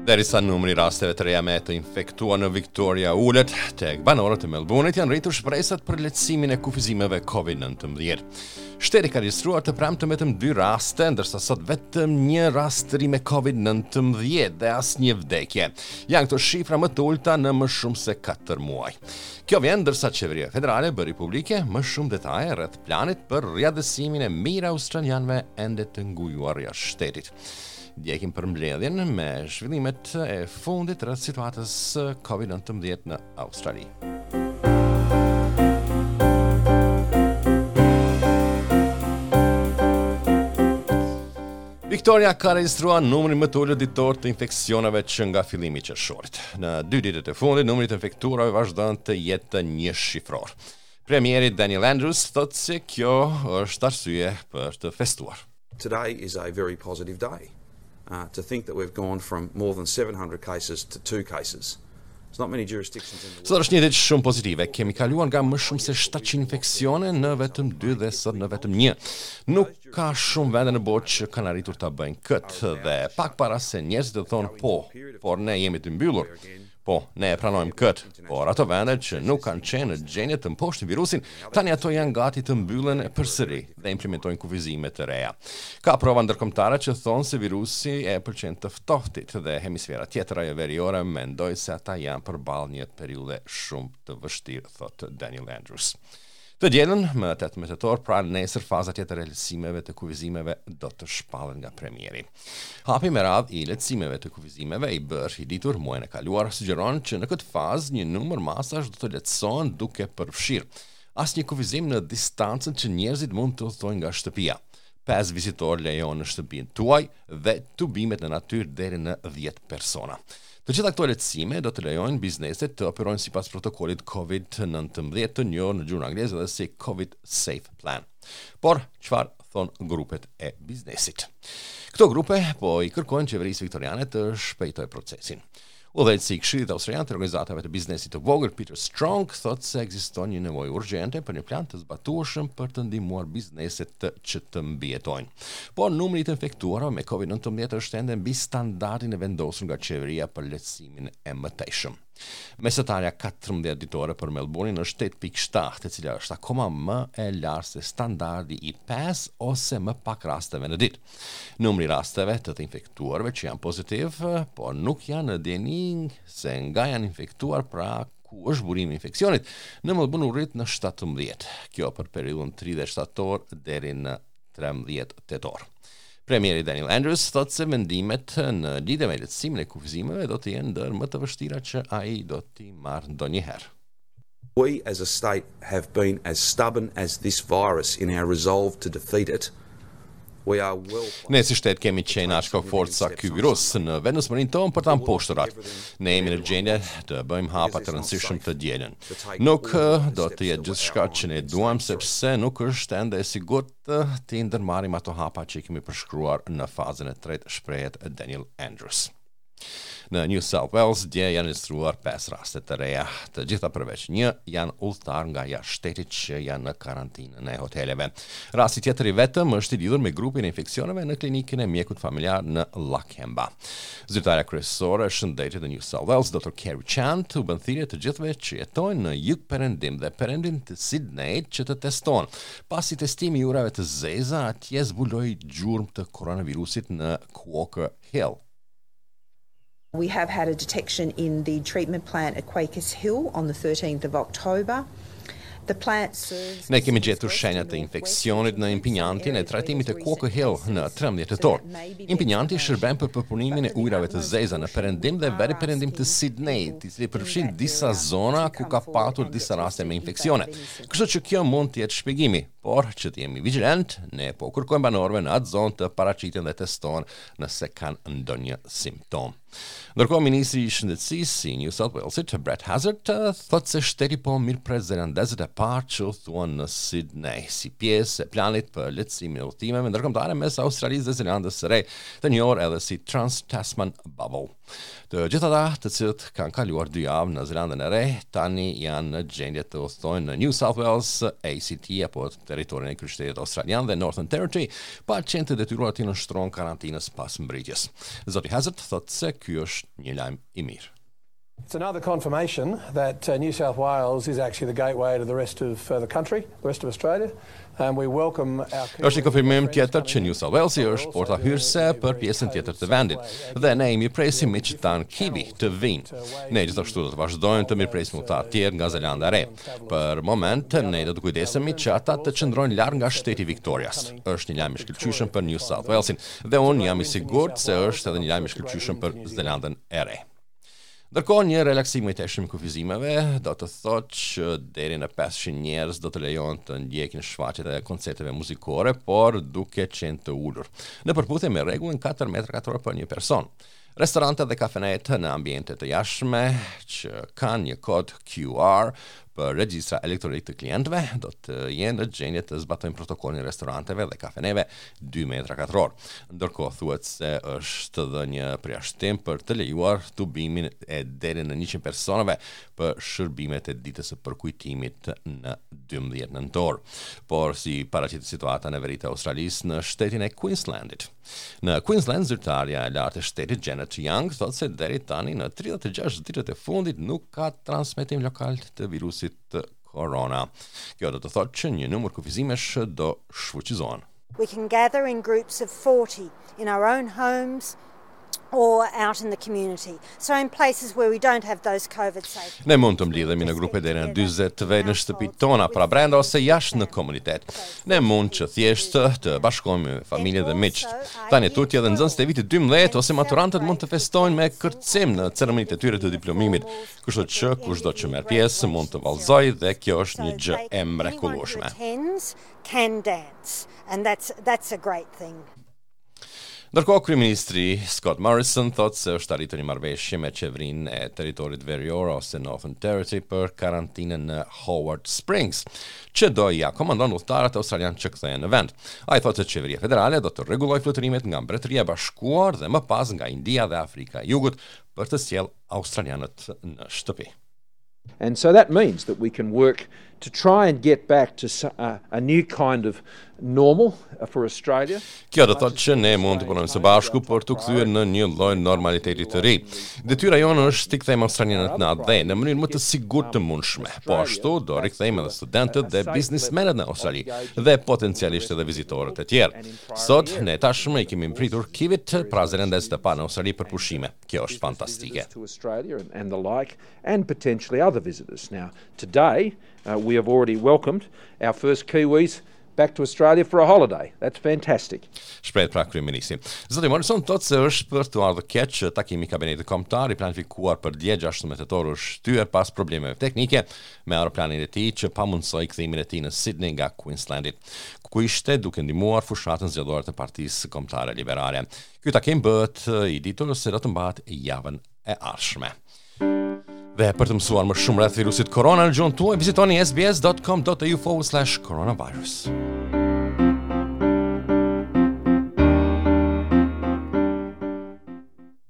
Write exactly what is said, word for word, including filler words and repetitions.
Derisa numri i rasteve të reja me të infektuar në Victoria ulet, tek banorët e Melbourne-it janë rritur shpresat për lehtësimin e kufizimeve Covid nëntëmbëdhjetë. Shteti ka regjistruar të premten vetëm dy raste, ndërsa sot vetëm një rast të ri me Covid nëntëmbëdhjetë dhe asnjë vdekje. Janë këto shifra më të ulta në më shumë se katër muaj. Kjo vjen ndërsa qeveria federale bëri publike më shumë detaje rreth planit për riatdhesimin e mijëra australianëve ende të ngujuar jashtë shtetit. Ndjekim përmbledhjen me zhvillimet e fundit rreth situatës Covid nëntëmbëdhjetë në Australi. Victoria ka regjistruar numrin më të ulët ditor të infeksioneve që nga fillimi i qershorit. Në dy ditët e fundit, numri i të infektuarve vazhdon të jetë një shifror. Premieri Daniel Andrews thotë se kjo është arsye për të festuar. Today is a very positive day. Uh, to think that we've gone from more than seven hundred cases to two cases. There's not many jurisdictions in the Sot është një ditë shumë pozitive. Kemi kaluar nga më shumë se shtatëqind infeksione në vetëm dy dhe sot në vetëm një. Nuk ka shumë vende në botë që kanë arritur ta bëjnë këtë dhe pak para se njerëzit të thonë po, por ne jemi të mbyllur. Po, ne e pranojmë këtë, por ato vende që nuk kanë qenë në gjendje të mposhtin virusin, tani ato janë gati të mbyllen përsëri dhe implementojnë kufizime të reja. Ka prova ndërkombëtare që thonë se virusi e pëlqen të ftohtit dhe hemisfera tjetër, ajo veriore, mendoj se ata janë përballë një periudhe shumë të vështirë, thotë Daniel Andrews. Të dielën, më tetëmbëdhjetë tetor, pra nesër, faza tjetër e lehtësimeve të kufizimeve do të shpallet nga premieri. Hapi me radhë i lehtësimeve të kufizimeve i bërë i ditur muajin e kaluar sugjeron që në këtë fazë një numër masash do të lehtësohen, duke përfshirë asnjë kufizim në distancën që njerëzit mund të udhtojnë nga shtëpia. Pesë vizitor lejohen në shtëpinë tuaj dhe tubimet në natyrë deri në dhjetë persona. Të gjitha këto lehtësime do të lejojnë bizneset të operojnë sipas protokollit Covid nëntëmbëdhjetë, të njohur në gjuhën angleze dhe si Covid Safe Plan. Por, çfarë thon grupet e biznesit? Këto grupe po i kërkojnë qeverisë viktoriane të shpejtojë procesin. Udhëheqësi i Këshillit Australian të Organizatave të Biznesit të Vogël, Peter Strong, thotë se ekziston një nevojë urgjente për një plan të zbatueshëm për të ndihmuar bizneset të, që të mbijetojnë. Por numri i të infektuarve me Covid nëntëmbëdhjetë është ende mbi standardin e vendosur nga qeveria për lehtësimin e mëtejshëm. Mesatarja katërmbëdhjetë ditore për Melbourne është tetë pikë shtatë, e cila është akoma më e lartë se standardi i pesë ose më pak rasteve në ditë. Numri i rasteve të të infektuarve që janë pozitiv, por nuk janë në dijeni se nga janë infektuar, pra ku është burimi i infeksionit, në Melbourne u rrit në shtatëmbëdhjetë. Kjo për periudhën tridhjetë shtator deri në trembëdhjetë tetor. Premieri Daniel Andrews thotë se vendimet në lidhje me lehtësimin e kufizimeve do të jenë ndër më të vështira që ai do t'i marrë ndonjëherë. We as a state have been as stubborn as this virus in our resolve to defeat it. We are well Ne si shtet kemi qenë aq kokëfort sa ky virus në vendosmërinë tonë për ta mposhtur atë. Ne jemi në gjendje të bëjmë hapa të rëndësishëm të dielën. Nuk eh, do të jetë gjithçka që ne duam, sepse nuk është ende e sigurt të ndërmarrim ato hapa që i kemi përshkruar në fazën e tretë, shprehet Daniel Andrews. Në New South Wales dje janë regjistruar pesë raste të reja. Të gjitha përveç një janë udhëtar nga jashtë shtetit që janë në karantinën e hoteleve. Rasti tjetër i vetëm është i lidhur me grupin e infeksioneve në klinikën e mjekut familjar në Lakemba. Zyrtarja kryesore e shëndetit në New South Wales, Doktor Kerry Chant, u bën thirrje të gjithëve që jetojnë në jug perëndim dhe perëndim të Sydney që të testohen, pasi testimi i ujërave të zeza atje zbuloi gjurmë të koronavirusit në Quaker Hill. We have had a detection in the treatment plant at Quakers Hill on the thirteenth of October. The plant serves Ne kemi gjetur shenja të infeksionit në impiantin e trajtimit të Quaker Hill në trembëdhjetë tetor. Impianti shërben për përpunimin e ujërave të zeza në perëndim dhe veri perëndim të Sydney, i cili përfshin disa zona ku ka patur disa raste me infeksione. Kështu që kjo mund të jetë shpjegimi, por që të jemi vigjilent, ne po kërkojmë banorëve në atë zonë të paraqiten dhe testohen nëse kanë ndonjë simptom. Ndërkohë, ministri i Shëndetësisë i New South Walesit, Brett Hazzard, thotë se shteti po mirëpret zelandezët e parë që udhtuan në Sydney si pjesë e planit për lehtësimin e udhëtimeve ndërkombëtare mes Australisë dhe Zelandës së Re, të njohur edhe si Trans-Tasman Bubble. Të gjithë ata të cilët kanë kaluar dy javë në Zelandën e Re tani janë në gjendje të udhtojnë në New South Wales, A C T apo territorin Territorin e Kryeqytetit Australian dhe Northern Territory pa qenë të detyruar të nënshtrohen karantinës pas mbërritjes. Zoti Hazzard thotë se ky është një lajm i mirë. It's another confirmation that uh, New South Wales is actually the gateway to the rest of uh, the country, the rest of Australia. And we welcome our Është një konfirmim tjetër që New South Walesi është porta hyrëse për pjesën tjetër të vendit dhe ne i mirëpresim miqtë tanë Kiwi të vinë. Ne gjithashtu do të vazhdojmë të mirëpresim udhëtarë tjerë nga Zelanda e Re. Për moment ne do të kujdesemi që ata të qëndrojnë larg nga shteti Victorias. Është një lajm i shkëlqyeshëm për New South Walesin dhe unë jam i sigurt se është edhe një lajm i shkëlqyeshëm për Zelandën e Re. Ndërkohë, një relaksim i mëtejshëm i kufizimeve do të thotë që deri në pesëqind njerëz do të lejohen të ndjekin shfaqjet e koncerteve muzikore, por duke qenë të ulur, në përputhje me rregullin katër metra katror për një person. Restorante dhe kafenet në ambiente të jashtme që kanë një kod Q R për regjistra elektronik të klientëve do të jenë në gjendje të zbatojnë protokollin e restoranteve dhe kafeneve dy metra katror. Ndërkohë, thuhet se është dhe një përjashtim për të lejuar tubimin e deri në njëqind personave për shërbimet e ditës së përkujtimit në dymbëdhjetë nëntor. Por si paraqitet situata në veri të Australisë, në shtetin e Queenslandit? Në Queensland, zyrtarja e lartë e shtetit Janet Young thotë se deri tani në tridhjetë e gjashtë ditët e fundit nuk ka transmetim lokal të virusit të korona. Kjo do të thotë që një numër kufizimesh do shfuqizohen. We can gather in groups of forty in our own homes or out in the community. So in places where we don't have those COVID safe. Ne mund të mblidhemi në grupe deri në dyzet vetë në shtëpitë tona, pra brenda ose jashtë në komunitet. Ne mund që thjesht të bashkohemi me familje dhe miqtë. Tani tutje edhe nxënësit e vitit dymbëdhjetë ose maturantët mund të festojnë me kërcim në ceremonitë e tyre të diplomimit, kështu që kushdo që merr pjesë mund të vallëzojë dhe kjo është një gjë e mrekullueshme. Attends can dance, and that's that's a great thing. Ndërkohë, kryeministri Scott Morrison thotë se është arritur një marrëveshje me qeverinë e territorit verior ose Northern Territory për karantinën në Howard Springs, që do i akomandon udhëtarët australian që kthehen në vend. Ai thotë se qeveria federale do të rregullojë fluturimet nga Mbretëria e Bashkuar dhe më pas nga India dhe Afrika e Jugut për të sjellë australianët në shtëpi. And so that means that we can work to try and get back to a, a new kind of normal for Australia. Kjo do thotë që ne mund të punojmë së bashku për të kthyer në një lloj normaliteti të ri. Detyra jonë është të kthejmë australianët në atdhe në mënyrën më të sigurt të mundshme. Po ashtu do rikthejmë edhe studentët dhe biznesmenët në Australi dhe potencialisht edhe vizitorët e tjerë. Sot ne tashmë i kemi pritur Kiwit, pra zelandezët e parë në Australi për pushime. Kjo është fantastike. To Australia and, and the like, and potentially other visitors. Now, today uh, we have already welcomed our first Kiwis back to Australia for a holiday. That's fantastic. Shprehet pra kryeministri. Zoti Morrison thotë se është për të ardhur keq që takimi i kabinetit kombëtar i planifikuar për dje, gjashtëmbëdhjetë tetor, është shtyrë pas problemeve teknike me aeroplanin e tij që pamundësoi kthimin e tij në Sydney nga Queenslandit, ku ishte duke ndihmuar fushatën zgjedhore të Partisë Kombëtare Liberale. Ky takim bëhet i ditur se do të mbahet javën e ardhshme. Dhe për të mësuar më shumë rreth virusit korona në gjuhën tuaj, vizitoni S B S dot com dot A U forward slash coronavirus.